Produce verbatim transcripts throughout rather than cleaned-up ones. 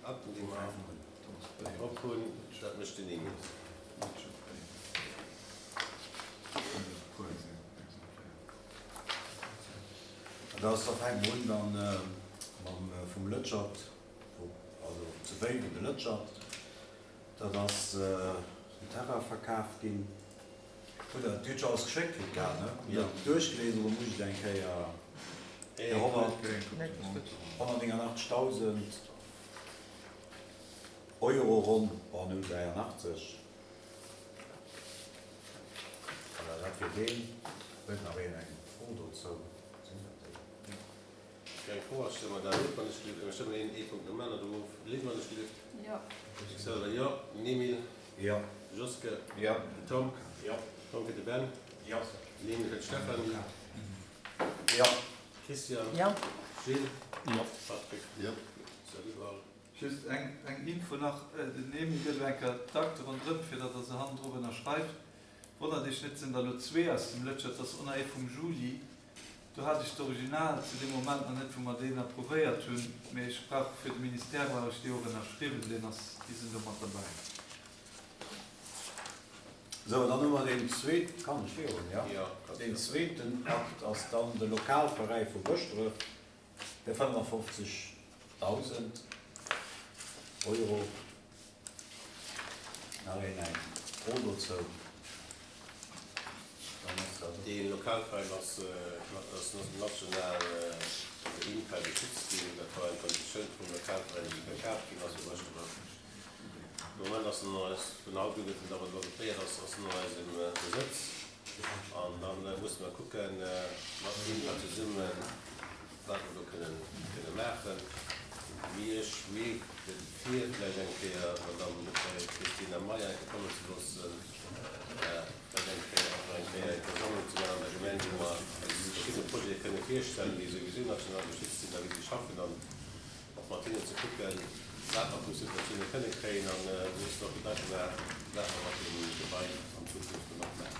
Akten, déi mer op hunn. Dat mécht den Emile. Dat ass, da fänke mer un dann mam vum Lëtschert, also zu Wéiwen de Lëtschert. Dat ass den Terrain verkaf ginn. Hutt Der, Dir hutt scho alles geschéckt kritt gehat, ne? Hutt Der duerchgelies oder muss ech et eng Kéier? Fir honnertnéngundachtzegdausend Euro ronn, bon, null dräianachtzeg. Voilà, dat wier deen. Huet nach een eng Fro dozou? Sinn dat déi? Keng Fro, ech stëmmen dat of, wann ech gelift. Ech stëmmen een ee Punkt nom aneren of. Lynn, wann ech gelift. Jo. Ech selwer jo. Emile? Jo. Joske? Jo. Tom? Jo. Tom fir de Ben. Jo. Lynn fir d'Stéphanie. Jo. Christian? Jo. Gilles? Jo. Patrick? Jo. Salut Val. Just eng eng Info nach, den Emile gëtt elo eng Kéier d'Akte ronderëm, fir datt Der se hannendrop ënnerschreift. Wonnert Iech net, et sinn der elo zwee aus dem Lëtschert, dat ass och nach ee vum Juli. Do hat ech d'Original zu deem Moment nach net, wou mer deen approuvéiert hunn, mee ech brauch fir de Ministère brauch ech déi och ënnerschriwwen, deen ass, déi sinn do mat derbäi. Sou, dann hu mer deen zweet, kann ech virun, jo? Jo, kanns Deen du. zweeten Akt ass dann de Lokalveräi vu Bëschdref fir fënnefundfofzegdausend Euro. Nach een eng Fro dozou? Dann ass dat. Dee Lokalveräin ass ass national vun der INPA geschützt ginn. Dat war eng Konditioun vum Lokalveräin, déi verkaf ginn ass u Bëschdref. De Moment ass en an eis, vun haut u gëtt en awer adoptéiert, ass ass en an eisem Besëtz. An da musse mer kucken, mat INPA zesummen, wat mer do kënnen kënne maachen. Mee ech mierken vir, vläicht eng Kéier d'Madame Christina Meyer eng Kéier kommen ze loossen, vläicht eng Kéier och nach eng Kéier eng Versammlung ze maachen an der Gemeng, wou mer eis verschidde Projete kënne virstellen, déi souwisou national geschützt sinn a wéi si schaffen, an och mat hinnen ze kucken, wat mer vu Subventioune kënne kréien an mussen och Gedanke maachen, wat mer mat deem Gebai an Zukunft dann och maachen.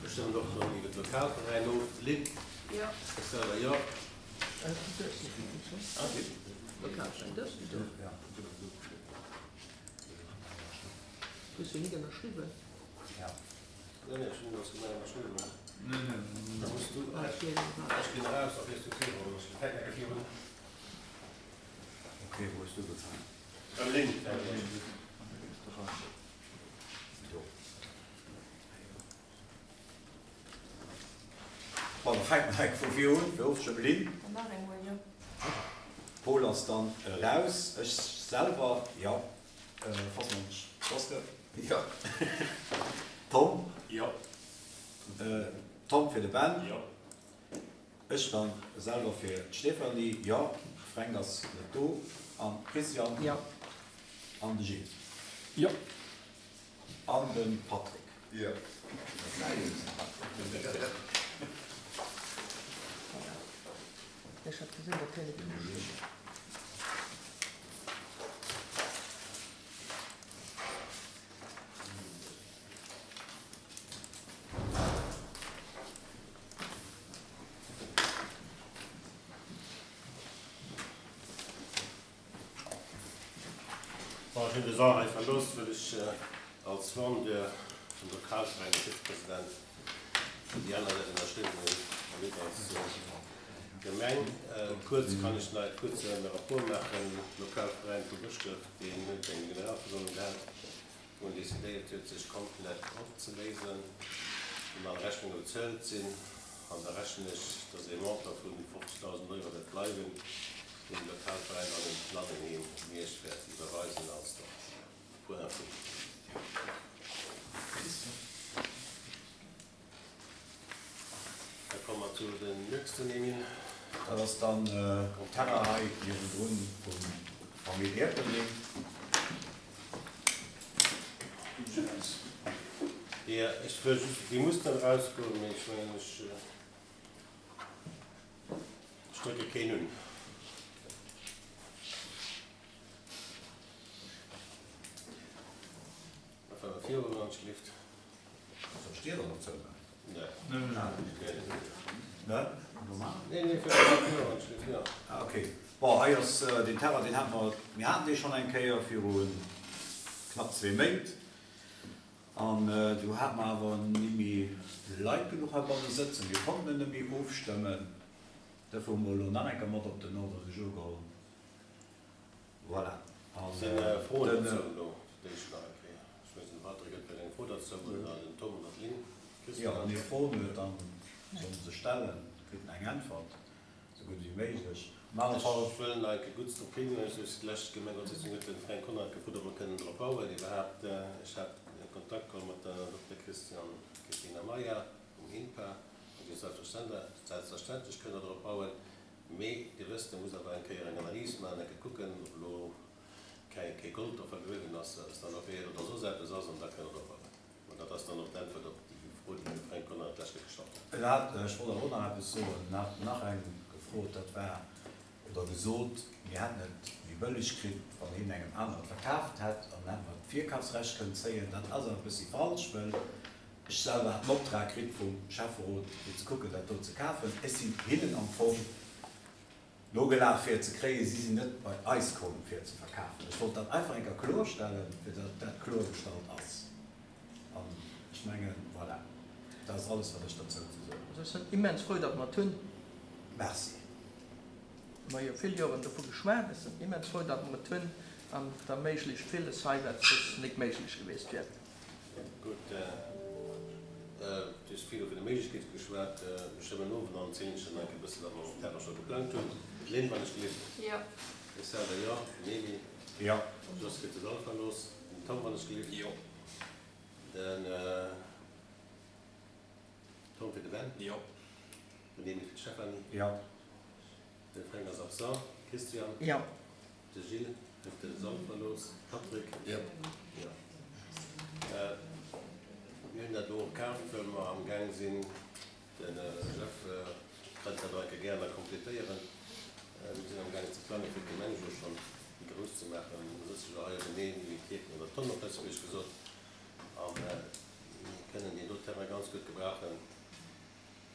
Ech stëmmen och dann iwwer d'Lokalveräin of. Lynn? Jo. Ech selwer jo. Hues du net ënnerschriwwen? Nee, nee, ech hunn alles gemein ënnerschriwwen. Nee, nee. Da muss du, ech ginn eraus, da fiers du virun. Ech fänken eng Kéier virun. Ok, wou hues du ugefaangen? Beim Lynn. Do. Bon, da fänke mer enk vu vir un, fir ofzestëmmen. Lynn? Dann nach eemol, jo. Paul ass dann eraus. Ech selwer, jo. Fass mer Joske? Jo. Tom? Jo. Tom fir de Ben? Jo. Ech dann selwer fir d'Stéphanie, jo. Fränk ass net do. An Christian? Jo. An de Gilles? Jo. An de Patrick? Jo. Ech hat gesinn, datt hien net ënnerschriwwen huet. Bon, ech hunn de Sall hei verlooss, well ech als Vendeur vum Lokalveräin, Vizepräsident, wou déi aner net ënnerschriwwen hunn, an net als Gemeng. Kuerz kann ech nach e kuerze Rapport maachen. Lokalveräin vu Bëschdref, deen huet eng Generalversammlung gehat, wou en decidéiert huet, sech komplett opzeléisen, wou all Rechnunge bezuelt sinn. An da rechnen ech, dass ee Montant vu fofzegdausend Euro wäert bleiwen, deen de Lokalveräin an den Planenheem Miersch wäert iwwerweisen als Point info. Da komme mer zu den nächsten, Emile. Dat ass dann um Terrain hei niewendrun vum Famill Erpelding. Jo, ech wëll just, déi muss dann erausgoen, mee ech mengen, ech drécke keen un. Da faare mer virun, wann ech gelift. Soll ech d'Dier dann och zoumaachen? Nee. Nee? Normal? Nee, nee, fir virun, wann ech gelift, jo. Ah, okay. Bon, Bon, hei ass deen Terrain, deen hate mer, mir haten dee schonn eng Kéier viru knapp zwee Méint. An do hate mer awer nimmi Leit genuch heibanne sëtzen, mir konnten en nemmi ofstëmmen. Dofir hu mer elo nach eng Kéier mat op den Ordre du jour geholl. Voilà. An Sinn Froen den. dozou elo fir d'éischt nach eng Kéier? Ech weess net, de Patrick huet vläicht eng Fro dozou oder den Tom oder d'Lynn. Jo, Christian? wann ee Froen huet, da soll en se stellen, kritt en eng Äntwert, esou gutt ewéi méiglech. Op alle Fall. Ech wëll nach eng Kéier gutt drop hinweisen, duerch déi lescht Gemengerotssitzung huet de Fränk Conrad gefrot, ob mer kënnen drop bauen iwwerhaapt. Ech hat Kontakt geholl mat der Dokter Christian, Christina Meyer vum INPA, an déi huet selbstverständlech kënne drop bauen. Mee Dir wësst, e muss awer eng Kéier eng Analys maachen, eng Kéier kucken, ob elo kei kee Gold do vergruewen ass, wat es dann och wier, oder soss eppes ass, an da kënne mer drop bauen. An dat ass dann och d'Äntwert op déi Fro, déi de Fränk Conrad d'lescht Kéier gestallt huet. En hat, ech wollt awer och nach eppes soen, en hat nach eng gefrot, dat war, oder gesot, mir hätten et méi bëlleg kritt, wann hien engem aneren et verkaaft hätt, an dann hätte mer d'Virkafsrecht kënnen zéien. Dat ass awer e bëssi falsch, well ech selwer hat den Optrag kritt vum Schäfferot, fir ze kucken, dat do ze kafen. Ech sinn hinnen am Fong nogelaf, fir et ze kréien. Si sinn net bei eis komm, fir et ze verkafen. Ech wollt dat einfach eng Kéier klorstellen, fir datt dat klorgestallt ass. An ech mengen, voilà, dat ass alles, wat ech derzou ze soen hunn. Also ech sinn immens frou, datt mer et hunn. Merci. Mer hu jo vill Joren dovu geschwat. Ech sinn immens frou, datt mer et hunn an et erméiglecht villes hei, wat soss nik méiglech gewiescht wier. Gutt, Du hues vill vun de Méiglechkeete geschwat. Ech stëmmen of an dann zielen ech der nach e bësse wat mer um Terrain scho geplangt hunn. Lynn, wann ech gelift. Jo. Ech selwer jo. Den Emil. Jo. Jos kritt de Sall verlooss. Den Tom, wann ech gelift. Jo. Den Tom fir de Ben. Jo. Den Emil fir d'Stéphanie. Jo. De Fränk ass absent. Christian. Jo. De Gilles huet de Sall verlooss. Patrick. Jo. Jo. Mir hunn dat elo och kaaft, well mer am Gaang sinn, de Jeff kënnt dat och eng Kéier gären nach completéieren, mir sinn am Gaang ze plangen, fir d'Gemeng elo schonn méi grouss ze maachen. Mir sëtze jo hei openeen wéi d'Kierken an der Tonn op Lëtzebuergesch gesot. A mir kënnen deen do Terrain ganz gutt gebrauchen,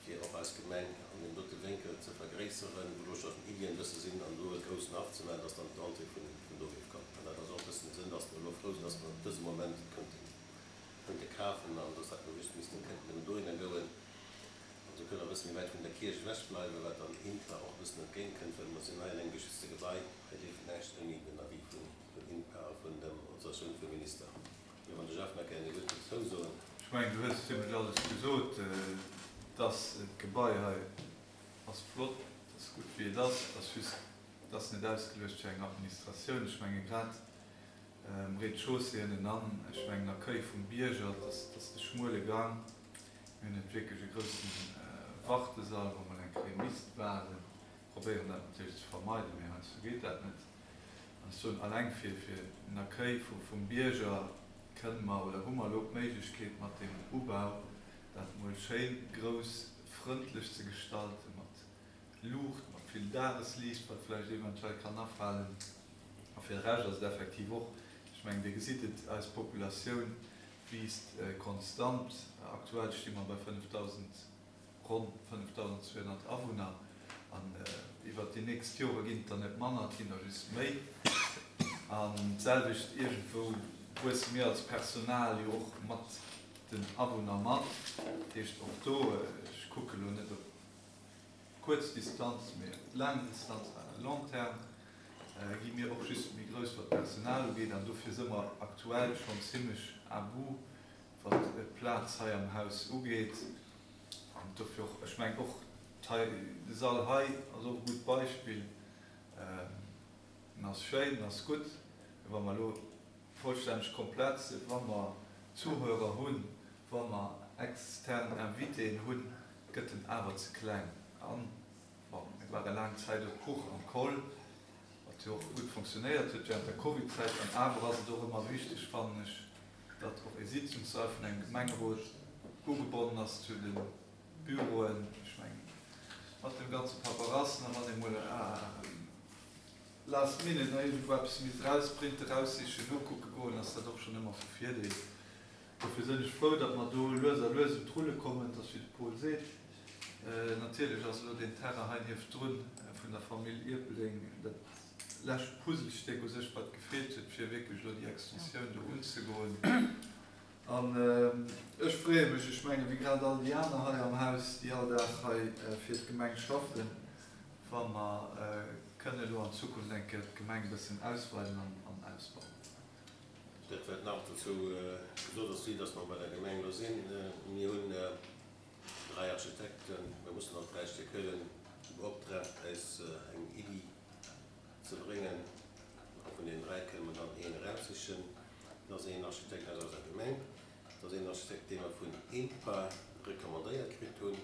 fir och eis Gemeng an deem dote Wénkel ze vergréisseren, wou elo scho Iddien e bësse sinn, an do e groussen Haff ze maachen, dass dann d'Entrée vun do géif kommen. An dat ass och e bëssen de Sënn, dass mer elo frou sinn, dass mer op dësem Moment et kënnten kënnte kafen an dass dat mer just missten kënnten nëmmen dohinner goen. An esou kënne mer e bësse méi wäit vun der Kierch ewech bleiwen, wat dann INPA och e bëssen entgéint kënnt, well mer sinn hei an engem geschützte Gebai, hei dierf näischt ouni den Avis vun vun INPA a vun dem Autorisatioun vum Minister. Mee wann de Jeff nach gären e Wuert dozou soen. Ech mengen, du hues zimlech alles gesot. Dass d'Gebai hei ass flott, et ass gutt wéi et ass, et ass just, et ass net ausgeluecht fir eng Administratioun. Ech menge grad um Rez-de-chaussée ënnenan, ech mengen Accueil vum Bierger, et ass, et ass de schmuele Gang. Mir hunn net wierklech e groussen Wartesall, wou mol eng Kéier misst waarden. Probéieren dat natierlech ze vermeiden, mee heiansdo geet dat net. An ech soen, alleng fir, fir den Accueil vu, vum Bierger kënne mer oder hu mer elo d'Méiglechkeet mat deem Ubau, dat mol schéin grouss, frëndlech ze gestalten, mat Luucht, mat vill Dagesliicht, wat vläicht eventuell kann afalen. A fir de Rescht ass et effektiv och, ech mengen, Dir gesitt et, eis Populatioun wiisst konstant. Aktuell sti mer bei fënnefdausend, ronn fënnefdausendzweehonnert Awunner. An iwwert déi nächst Jore ginn et der net manner, et ginn der just méi. An d'selwecht iergendwou wuesse mir als Personal jo och mat den Awunner mat. Dat heescht och do, ech kucke lo net op kuerz Distanz, mee op laang Distanz, à long terme, gi mir och just méi grouss, wat d'Personal ugeet. An dofir si mer aktuell schonn zimlech à bout, wat d'Plaz hei am Haus ugeet. An dofir och, ech mengen och hei, de Sall hei ass och e gutt Beispill. En ass schéin, en ass gutt, mee wa mer elo vollstänneg komplett sinn, wa mer Zuhörer hunn, wa mer extern Invitéen hunn, gëtt en awer ze kleng. An, bon, mir ware laang Zäit op Puch am Koll, wat jo och gutt fonctionnéiert huet während der Covid-Zäit. An awer ass et och ëmmer wichteg, fannen ech, datt och e Sitzungssall vun engem Gemengerot ugebonnen ass zu de Büroen. Ech mengen, mat dem ganze Paperassen a wann ee mol last minute nach iergendwou eppes misst erausprinten, eraussichen, nokucke goen, ass dat och schonn ëmmer vu Virdeel. Dofir sinn ech frou, datt mer do lues a lues un d'Rulle kommen. Et ass wéi de Paul seet, natierlech ass elo deen Terrain hei niewendrun vun vun der Famill Ierpeldeng dat lescht Puzzlestéck u sech, wat gefeelt huet, fir wierklech elo déi Extensioun do unzegoen. An ech freeë mech, ech menge wéi grad all déi aner hei am Haus, déi all Dag hei fir d'Gemeng schaffen, wa mer kënne elo an Zukunft eng Kéier d'Gemeng e bëssen ausweiden an ausbauen. Dat wat nach dozou gesot ass, vue dass mer bei der Gemeng elo sinn, mir hunn dräi Architekten, mir mussen alt dräi Stéck huelen, beoptraagt, eis eng Iddi ze bréngen. A vun deenen dräi kënne mer dann een eraussichen. Dat ass een Architekt aus eiser Gemeng, dat ass een Architekt, dee mer vun INPA recommandéiert kritt hunn.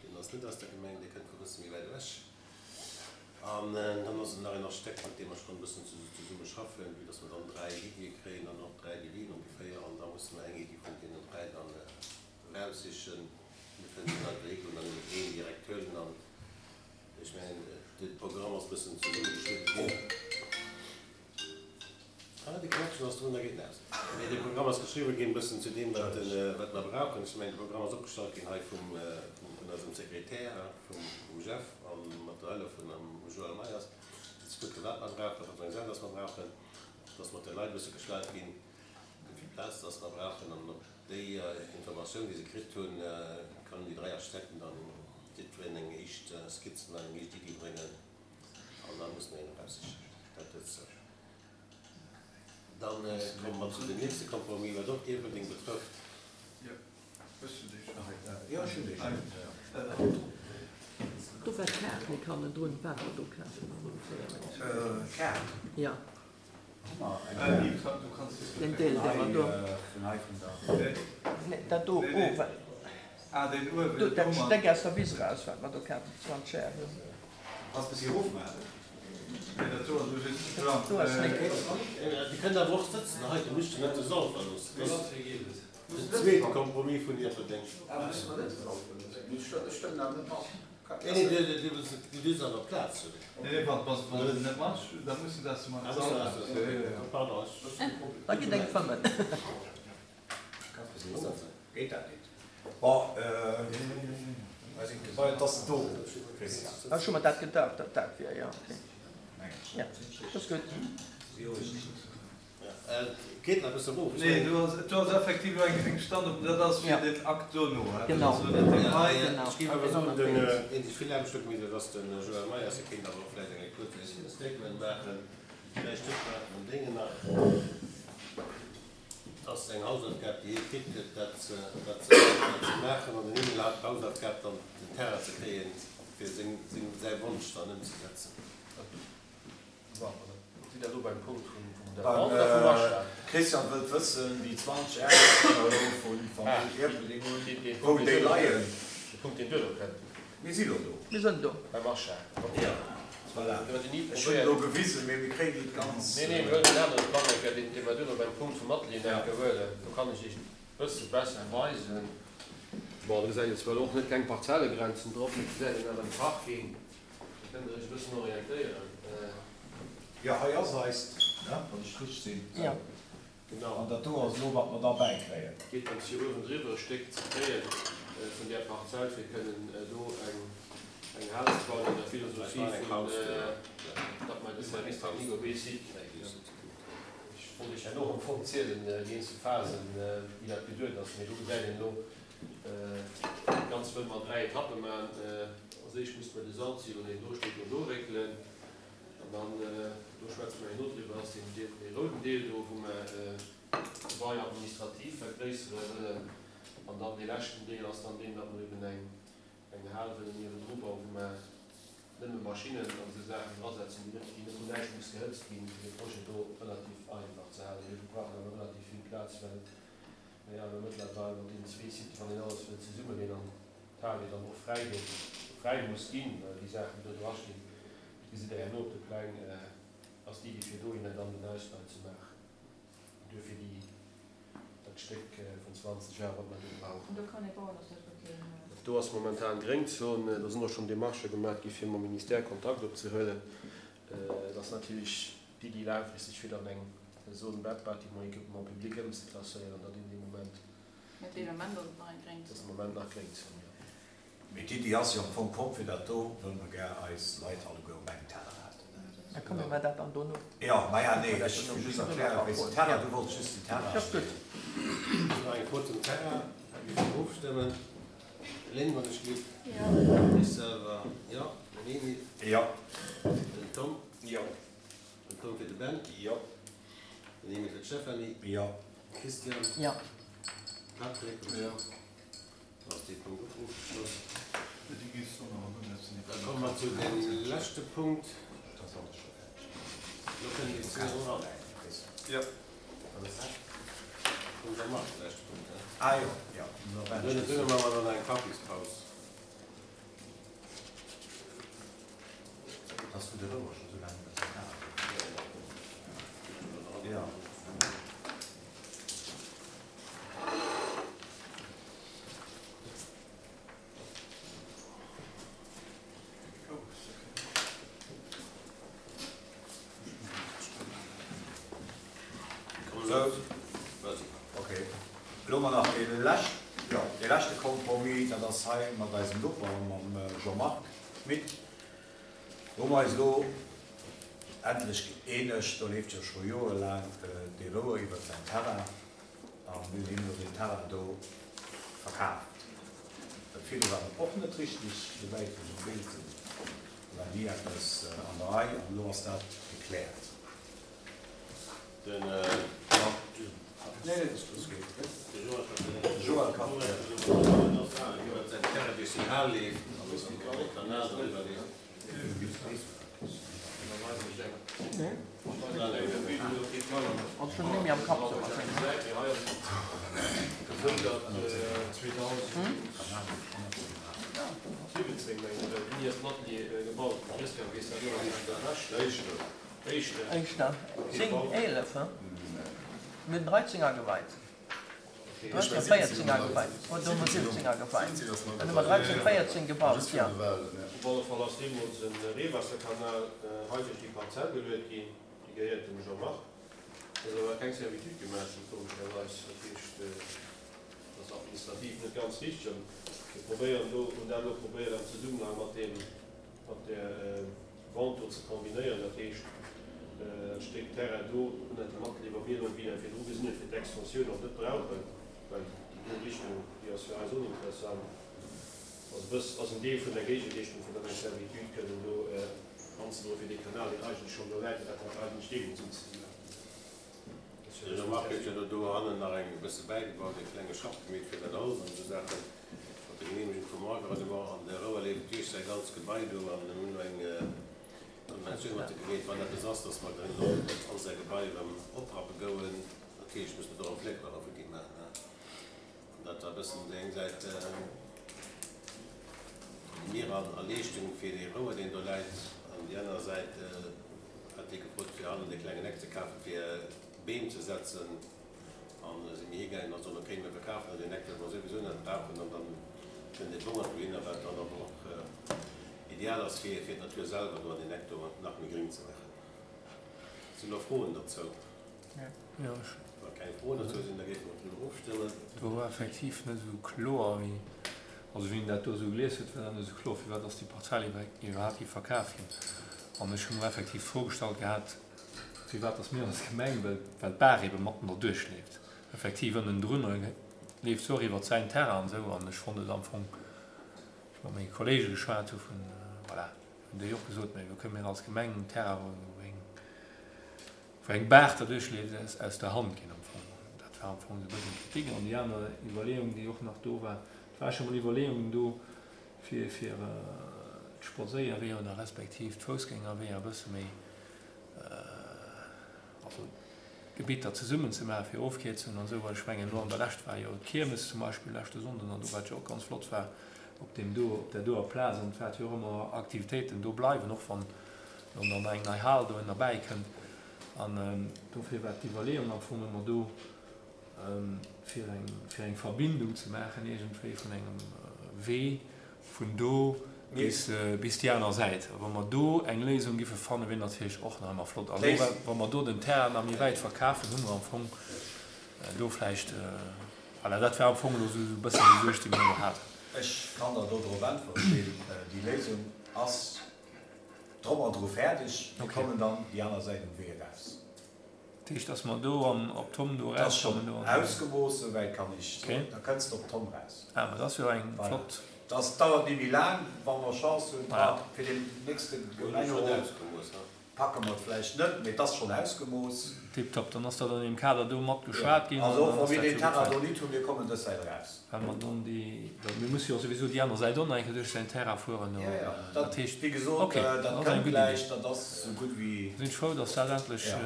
Deen ass net aus der Gemeng, dee kënnt vu bësse méi wäit ewech. An dann ass et nach een Architekt, mat deem mer schonn e bëssen zesumme schaffen, vue dass mer dann dräi Iddie kréien an och dräi Devisen ongeféier. An da musse mer eng Iddi vun deenen dräi dann eraussichen. Mir kënnen net einfach higoen an nëmmen een direkt huelen. An ech mengen, de Programm ass e bëssen zesummegeschnidde ginn. Ah, de Knäppchen ass drun, da geet en aus. Mee de Programm ass geschriwwen ginn e bëssen zu deem, wat wat mer brauchen. Ech mengen, de Programm ass opgestallt ginn hei vum vun eisem Sekretär, vum Jeff a mat der Hëllef vun dem Joël Meyers, fir ze kucken, wat mer brauchen, wat fir eng Saach dass mer brauchen, dass mat de Leit e bësse geschwat ginn, wéi vill Plaz dass mer brauchen. An op déi Informatioun, déi se kritt hunn, kann déi dräi Architekten dann jiddwereen eng éischt Skizz an eng éischt Iddi bréngen. An da musse mer een eraussichen. Dat dozou. Dann komme mer zu dem nächste Compromis, wat och Ierpeldeng betrëfft. Jo, hues du déi schonn? Jo, ech hunn déi schonn. Do war d'Kaart nik hannendrun, wat mer do kafen. D'Kaart? Jo. Hu mer eng Kaart? Den Deel, dee mer do. Vun hei vun der. Nee, dat do uewen. Ah, deen uewen. Do, dat Stéck aus der Wiss eraus, wat mer do kafen, zwanzeg Ar. Kanns bis hier erofmaachen. Nee, dat do ass elo just de Plan. Do ass nik. Dir kënnt awer och sëtzen hei, dir musst jo net de Sall verloossen. Dat ass den zweete Compromis vun Ierpeldeng. Nee, nee, dir dierft awer Plaz hunn. Nee, nee, wann se net mat, da mussen se aus dem Sall eraus. Pardon, ech. Da gitt eng fëmmen. Geet dat net? Bon, et ass do, Christian. Ech hu mer dat gedacht, datt dat wier, jo. Okay. Ja, dat ass gutt. Geet nach e bësse erof. Nee, do ass, do ass effektiv elo eng Stand op, dat ass fir den Akt dono. Genau. Dat ass elo net deen hei. Ech géif awer soen, den, deen sech vill Aarbecht huet gemaach, dat ass den Joël Meyers. Hie kéint awer och vläicht eng kuerz Statement maachen. Vläicht huet mer den Déngen nach. Et ass eng Hausaufgab, déi hie kritt huet, dat ze, dat ze, dat ze maachen. An den Emile hat d'Hausaufgab dann, den Terrain ze kréien, fir seng, seng, säi Wonsch dann ëmzesetzen. Bon, sidd Der elo beim Punkt vun der Vente oder vum Achat? Christian wëllt wëssen, déi zwanzeg Ar, déi mer elo vu Famill Ierpeldeng hunn, wou déi leien. De Punkt, deen duerno kënnt. Mir si lo do. Mir sënn do. Beim Achat. Jo, voilà. Ech hunn elo gewisen, mee mir kréien déi ganz. Nee, nee, mir huelen en anere Plang eng Kéier, deen, dee mer duerno beim Punkt vum Atelier nach eng Kéier huelen. Do kann ech Iech e bësse besser weisen. Bon, do gesäit een zwar elo och net keng Parzellegrenzen drop, mee et gesäit een awer de Parking. Do kënnt Der Iech e bëssen orientéieren. Jo, hei ass eist, ne, wann ech richteg sinn. Jo. Genau. An dat do ass elo, wat mer da bäikréien. Geet drëms, fir uewendriwwer e Stéck ze kréien vun där Parzell, fir kënnen do eng, eng Hal ze bauen an der Philosophie vun, datt mer de Service technique op ee Site kréien. Ech wollt Iech herno am Fong zielen, déi eenzel Phasen, wéi dat geduet ass, mee do gesäit een elo, dat Ganzt wëlle mer an dräi Etappe maachen. Als éischt muss mer de Salzsilo, deen do steet, do ofwéckelen. An dann, do schwätze mer herno driwwer, ass deen Deel, dee rouden Deel do, wou mer d'Gebai administrativ vergréissere wëllen. An dann dee leschten Deel ass dann deen, datt mer eben eng, eng Hal wëllen niewendru bauen, wou mer nëmme Maschinnen an esou Saachen drasetzen, déi net, déi net vun näischt muss gehëtzt ginn, fir de Projet do relativ einfach ze halen. Mee mir brauchen awer relativ vill Plaz, well mir awer mëttlerweil mat deenen zwee Siten, wann een alles wëll zesummeleen an d'Hal jo dann och fräi gëtt, fräi muss ginn, well déi Saachen, déi do drastinn, dat gesitt Der herno op de Pläng, ass d'Iddi fir dohinner dann den Ausbau ze maachen. Duerfir déi, dat Stéck vun zwanzeg Ar, wat mer do brauchen. An do kann ee bauen, ass dat wat Dir. Do ass momentan Gréngzon. Do sinn och schonn Demarchë gemaach gi fir mam Ministère Kontakt opzehuelen. Et ass natierlech d'Iddi laangfristeg fir dann eng Zone bâtiment équipement public ëmzeklasséieren, datt een dee Moment. Mä dee Moment ass et nach eng Gréngzon. Et ass de Moment nach Gréngzon, jo. Mee d'Iddi ass jo am Fong komm, fir dat do wëlle mer gär eis Leit alleguer op engem Teller haten. Da komme mer dat dann dono. Jo, maja, nee, ech wëll just erklären, wéi se Terrain, du wollts just den Terrain. Ass gutt. Nach eng Fro zum Terrain, da gi mer ofstëmmen. Lynn, wann ech giff. Jo. Ech selwer, jo. Den Emil. Jo. Den Tom. Jo. Den Tom fir de Ben. Jo. Den Emil fir d'Stéphanie. Jo. Christian. Jo. Patrick. Jo. Da ass dee Punkt och ofgeschloss. Déi géif och nach erëm setzen. Da komme mer zu deem leschte Punkt. Lo kënnen déi zwee eran. Jo. Vum Jean-Marc, de leschte Punkt, he? Ah jo, jo. Duerno, duerno maache mer dann eng Kaffispaus. Dass du de Rouer scho sou laang net méi hat. Jo. Sou, okay. Elo mer nach dee lescht, jo, dee leschte Compromis, dat ass hei mat eisem Noper, mam Jean-Marc Schmit. Do hu mer eis elo endlech gëeenegt, do leeft jo scho joerelaang dee Rouer iwwert säin Terrain a mir hunn him elo deen Terrain do verkaaft. Dat virdru war et och net richtig, souwäit ech am Bild sinn, do war ni eppes an der Rei an elo ass dat gekläert. Den Joël kann Ass schon net méi am Kapp sou Éischter, zéng, eelef, he? Mir hunn dreizéng ageweit. Dreizéng, véierzéng ageweit. Oder hu mer siwwzéng ageweit? Dann hu mer dreizéng, véierzéng gebaut, jo. Op alle Fall ass deemools e Reewaasserkanal hei duerch déi Parzell geluet ginn. Déi gehéiert dem Jean-Marc. Et ass awer keng Servitude gemaach ginn, komescherweis. Dat heescht, dat ass administrativ net ganz richteg. An mir probéieren do, hunn dat elo probéiert am Zesummenhang mat deem, mat där Vente do ze kombinéieren. Dat heescht, dat Stéck Terrain do ënnert dem Atelier, wa mir elo wéi dat virdru gesinn huet, fir d'Extensioun och net brauchen, well déi do Richtung, déi ass fir eis oninteressant, ass e bëss, ass en Deel vun der Géigeleeschtung, fir dann eng Servitude kënnen do anzedroen fir dee Kanal, deen eigentlech schonn do läit, dat hat eigentlech deemools unzedroen. De Jean-Marc huet jo elo dohannen nach eng bësse bäigebaut, e klenge Schapp gemeet fir dat Holz an esou Saachen, mat der Genehmegung vum Environnement. An de Rouer leeft duerch säi ganzt Gebai do an mir hunn elo eng Konventioun mat de gemeet, wann eppes ass, dass mer kënnen och all säi Gebai erëm oprappe gouen. Natierlech musse mer do erëm Fléckler futti maachen, hein. An dat war e bëssen déi eng Säit déi mir an a Leeschtung fir dee Rouer, deen do läit, an déi aner Säit hat dee gefrot, fir hannen e klengen Eck ze kafen, fir Beem ze setzen. An si mir higaangen an soen, okay, mir verkafen der deen Eck, well mer souwisou net brauchen, an dann kënnt dee Bongert dohinner, wat dann awer och ideal ass, fir fir d'Natur selwer do an deen Eck do nach méi gréng ze maachen. Sinn do Froen dozou? Jo, ech. Wa keng Froen dozou sinn, da géife mer driwwer ofstëmmen. Do war effektiv net esou kloer, wéi, also wéi een dat do esou gelies huet, war dat net esou kloer, firwat ass déi Parzell iwwerhaapt gi verkaf ginn. An ech hu mer effektiv d'Fro gestallt gehat, firwat ass mir als Gemeng, well, well d'Baach ebe matten derduerch leeft, effektiv ënnendrunner leeft se och iwwert säin Terrain an esou. An ech fonnt et am Fong, ech mat menge Kollege geschwat hu vun, voilà, hunn déi och gesot, mä wou kënne mir als Gemeng en Terrain, wou eng, wou eng Baach derduerch leeft, aus, aus der Hand ginn am Fong. Dat war am Fong esou e bëssen d'Kritik. An déi aner Iwwerleeung, déi och nach do war, et war scho mol Iwwerleeungen do, fir, fir d'Spadséierweeër oder respektiv d'Foussgängerweeër e bësse méi, also Gebitter zesummen ze maachen, fir Ofkierzungen an esou, well ech mengen, elo an der Lescht war jo d'Kiermes zum Beispill leschte Sonnden an do, wat jo och ganz flott war op deem do, op där doer Plaz, an et wäerte jo och ëmmer Aktivitéiten do bleiwen, och wann elo dann eng nei Hal do ënnerbäi kënnt. An dofir war d'Iwwerleeung am Fong ëmmer do, fir eng, fir eng Verbindung ze maachen iergendwéi vun engem Wee vun do bis, bis déi aner Säit. A wa mer do eng Léisung giffe fannen, wier natierlech och nach ëmmer flott. A lo, wa mer do den Terrain nach méi wäit verkafen, hu mer am Fong do vläicht, voilà, dat war am Fong elo esou e bëssen déi Suerg, déi mer elo haten. Ech kann der do drop äntweren, Gilles. Déi Léisung ass drum an dru fäerdeg. Mir Okay. kommen dann déi aner Säit um Wee eraus. Dat heescht, dass mer do am, op d'Tomm do Dat ass schonn erauskommen do an. ausgemooss, souwäit kann ech soen. Okay. Da kënns de op d'Tomm raus. Ah, ma dat ass jo eng Voilà. flott. Dat dauert net méi laang, wa mer Chance hunn. Voilà. Fir den nächste Hunn ech schonn Gemengerot ausgemooss, ne? packe mer et vläicht net, mee et ass schonn ausgemooss. Tiptop, dann ass dat an deem Kader do mat geschwat ginn Also an och dann wa ass mir dat deen jo Terrain gutt, do nit hunn, mir kommen dës Säit eraus. well mer dann déi, well mir musse jo souwisou déi aner Säit och nach eng Kéier duerch säin Terrain fueren do. Jo, jo, Dat dat, heescht, wéi gesot, okay, dat dat ass eng kënnt gutt Iddi. gläich, dat ass esou gutt wéi. Sinn ech frou, dass dat endlech. Ja.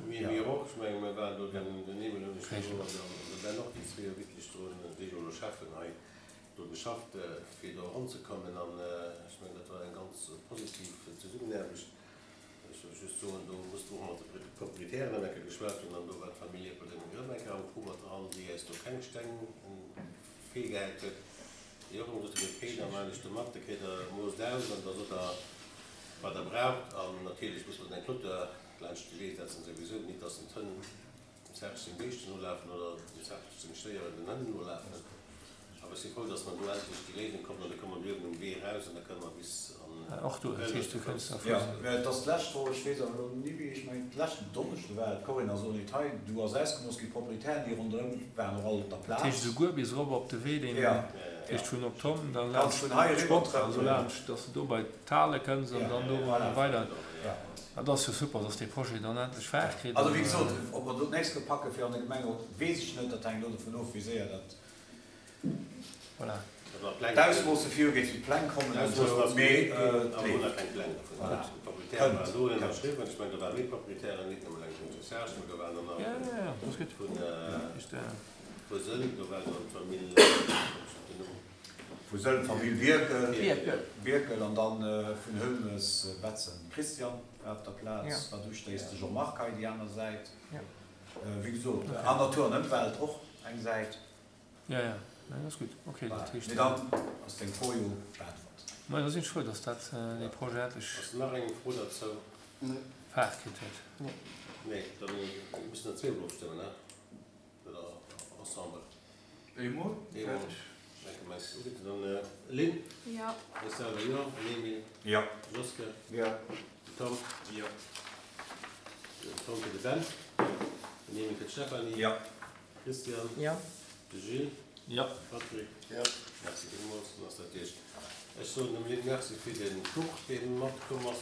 Mir, mir och, ech menge mir waren do, den, den Emil hunn ech Réichel. do an de Ben och, déi zwee hu wierklech do, déi jo elo Cheffen hei, do geschafft, fir do eranzekommen an ech mengen, dat war eng ganz positiv Zesummenaarbecht. Ech wëll just soen, do musste och mat de Proprietären eng Kéier geschwat hunn an do war d'Famill Erpeldeng erëm eng Kéier am Coup mat dran, déi eis do keng Steng virgehäit huet. Déi och ëmmer gesot hunn, okay, da maachen ech do mat, da kritt Der moosst aus an da sot Der, wat Der braucht. An natierlech muss man eng Clôture laanscht de Wee setzen souwisou, nit dass den Tënn dem Serge seng Béischten nolafen oder dem Serge seng Stéieren den Hënn nolafen. Awer ech si frou, dass mer do endlech déi Léisung kommen an da komme mer uewen um Wee eraus an da kënne mer bis an Och do, dat heescht, du kënns da Jo, vu. mä et ass d'lescht Woch, ech weess awer elo ni wéi, ech mengen d'leschten Donneschde war et, d'Corinne ass och nit hei, du ass ausgemooss ginn, d'Proprietären déi ronderëm waren och all op der Dat Plaz. heescht esouguer bis erop op de Wee, deen, Ja, dat heescht vun op d'Tomm, da Kanns laanscht vun hei eriwwer d'Sport, also trëppelen. laanscht, dass de do bei d'Hale kënns an Ja, dann do voilà. weider. Ja. Dat ass jo super, dass dee Projet dann endlech Faart kritt. Also an, wéi gesot, ob mer do d'nächst Kéier packe fir an de Gemengerot, weess ech net, dat hänkt elo dovun of, wéi séier dat Voilà. D'Ausmoosse virugeet, wéi d'Pläng kommen an esou, mee et leeft. Keng Pläng dovun. Voilà. D'Proprietäre Kënnt. waren do ënnerschriwwen, ech mengen, do ware méi Proprietären, nit nëmme eleng vum Serge, mee do waren dann nach Ja, ja, ja, dat ass gutt. vun Ist, vu Sëll, do war dann d'Famill, komm ech op den Numm. Vu Sëll, d'Famill Bierkel. Bierkel. Bierkel an dann vun Hölmes Betzen Christian war op der Plaz, Ja. wat ustéisst, de Jean-Marc hei déi aner Säit. Ja. Wéi gesot, an Natur an Ëmwelt och eng Säit. Ja, ja, nee, dat ass gutt. Okay, dat Voilà. heescht. Mee dann ass deng Fro jo beäntwert. Ma da sinn ech frou, dass dat dee Projet endlech Ass nach eng Fro derzou? Faart kritt huet. Nee, dann müssen der zweemol ofstëmmen, ne? Oder ensemble? Eemol? Eemol. Danke, meinst du? Dann Lynn? Ja. Ech selwer jo. Emil? Ja. Joske? Ja. Tom? Jo. Den Tom fir de Ben. Den Emil fir d'Stefanie. Ja. Christian? Ja. De Gilles? Ja. Patrick? Ja. Merci villmools. Dann ass dat duerch. Ech soen dem Lynn Merci fir den Kuch, deen matkomm ass.